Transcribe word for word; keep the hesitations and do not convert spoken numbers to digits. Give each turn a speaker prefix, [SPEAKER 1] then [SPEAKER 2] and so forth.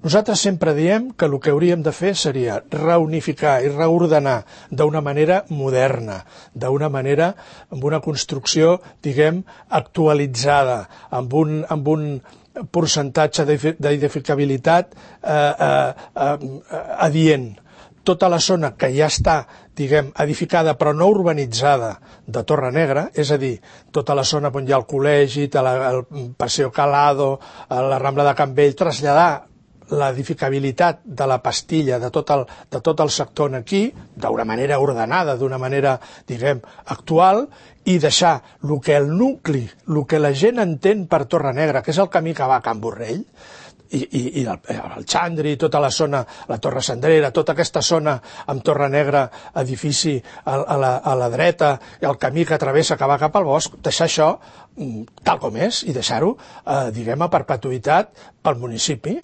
[SPEAKER 1] Nosaltres sempre diem que el que hauríem de fer seria reunificar i reordenar d'una manera moderna, d'una manera amb una construcció, diguem, actualitzada, amb un, amb un percentatge d'edificabilitat eh, eh, eh, adient. Tota la zona que ja està, diguem, edificada però no urbanitzada de Torre Negra, és a dir, tota la zona on hi ha el col·legi, el Paseo Calado, la Rambla de Can Vell, traslladar l'edificabilitat de la pastilla de tot el, de tot el sector aquí, d'una manera ordenada, d'una manera, diguem, actual, i deixar el que el nucli, el que la gent entén per Torre Negra, que és el camí que va a Can Borrell, i, i, i el, el Xandri, tota la zona, la Torre Cendrera, tota aquesta zona amb Torre Negra, edifici a, a, la, a la dreta, i el camí que travessa que va cap al bosc, deixar això tal com és i deixar-ho, eh, diguem, a perpetuïtat pel municipi.